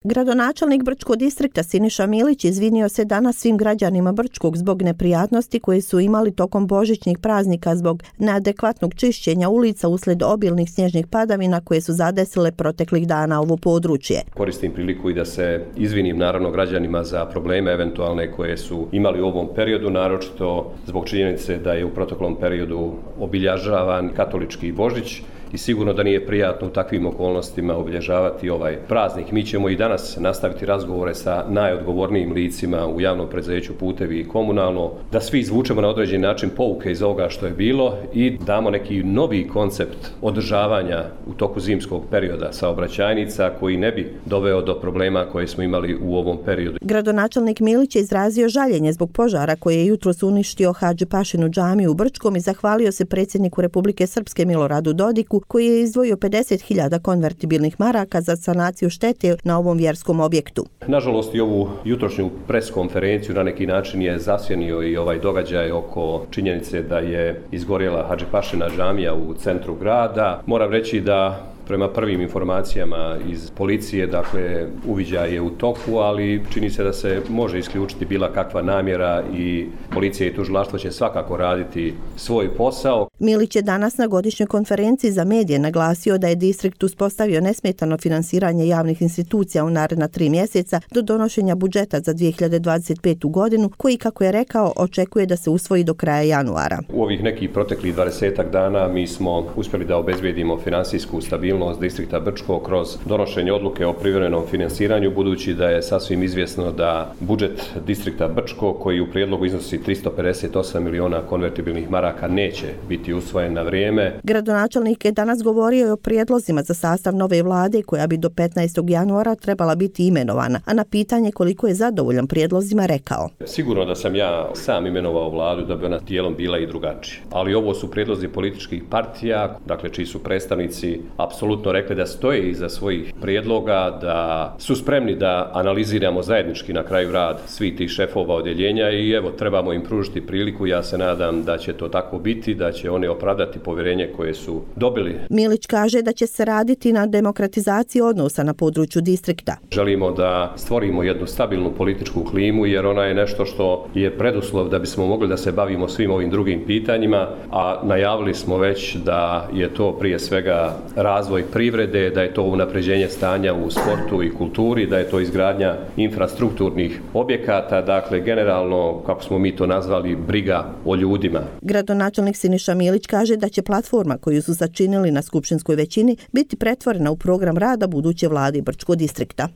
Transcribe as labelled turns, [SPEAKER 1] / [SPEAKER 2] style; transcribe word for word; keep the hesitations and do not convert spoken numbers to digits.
[SPEAKER 1] Gradonačelnik Brčkog distrikta Siniša Milić izvinio se danas svim građanima Brčkog zbog neprijatnosti koje su imali tokom božićnih praznika zbog neadekvatnog čišćenja ulica uslijed obilnih snježnih padavina koje su zadesile proteklih dana ovo područje.
[SPEAKER 2] Koristim priliku i da se izvinim naravno građanima za probleme eventualne koje su imali u ovom periodu, naročito zbog činjenice da je u proteklom periodu obilježavan katolički Božić i sigurno da nije prijatno u takvim okolnostima obilježavati ovaj praznik. Mi ćemo i danas nastaviti razgovore sa najodgovornijim licima u javnom preduzeću Putevi i komunalno, da svi izvučemo na određeni način pouke iz ovoga što je bilo i damo neki novi koncept održavanja u toku zimskog perioda saobraćajnica koji ne bi doveo do problema koje smo imali u ovom periodu.
[SPEAKER 1] Gradonačelnik Milić je izrazio žaljenje zbog požara koji je jutros uništio Hadži Pašinu džamiju u Brčkom i zahvalio se predsjedniku Republike Srpske Miloradu Dodiku koji je izdvojio pedeset hiljada konvertibilnih maraka za sanaciju štete na ovom vjerskom objektu.
[SPEAKER 2] Nažalost i ovu jutrošnju pres konferenciju na neki način je zasjenio i ovaj događaj oko činjenice da je izgorjela Hadži Pašina džamija u centru grada. Moram reći da prema prvim informacijama iz policije, dakle, uviđaj je u toku, ali čini se da se može isključiti bila kakva namjera i policija i tužilaštvo će svakako raditi svoj posao.
[SPEAKER 1] Milić je danas na godišnjoj konferenciji za medije naglasio da je distrikt uspostavio nesmetano finansiranje javnih institucija u naredna tri mjeseca do donošenja budžeta za dvije hiljade dvadeset petu godinu, koji, kako je rekao, očekuje da se usvoji do kraja januara.
[SPEAKER 2] U ovih nekih proteklih dvadesetak dana mi smo uspjeli da obezbedimo finansijsku stabilnost distrikta Brčko kroz donošenje odluke o privremenom finansiranju, budući da je sasvim izvjesno da budžet distrikta Brčko, koji u prijedlogu iznosi tristo pedeset osam miliona konvertibilnih maraka, neće biti usvojen na vrijeme.
[SPEAKER 1] Gradonačelnik je danas govorio o prijedlozima za sastav nove vlade koja bi do petnaestog januara trebala biti imenovana, a na pitanje koliko je zadovoljan prijedlozima rekao:
[SPEAKER 2] Sigurno da sam ja sam imenovao vladu da bi ona dijelom bila i drugačija, ali ovo su prijedlozi političkih partija, dakle čiji su predstavnici apsolutno rekli da stoje iza svojih prijedloga, da su spremni da analiziramo zajednički na kraju rad svih tih šefova odjeljenja i evo, trebamo im pružiti priliku. Ja se nadam da će to tako biti, da će oni opravdati povjerenje koje su dobili.
[SPEAKER 1] Milić kaže da će se raditi na demokratizaciji odnosa na području distrikta.
[SPEAKER 2] Želimo da stvorimo jednu stabilnu političku klimu jer ona je nešto što je preduslov da bismo mogli da se bavimo svim ovim drugim pitanjima, a najavili smo već da je to prije svega razvoj privrede, da je to unapređenje stanja u sportu i kulturi, da je to izgradnja infrastrukturnih objekata, dakle generalno, kako smo mi to nazvali, briga o ljudima.
[SPEAKER 1] Gradonačelnik Siniša Milić kaže da će platforma koju su sačinili na skupštinskoj većini biti pretvorena u program rada buduće vlade Brčkog distrikta.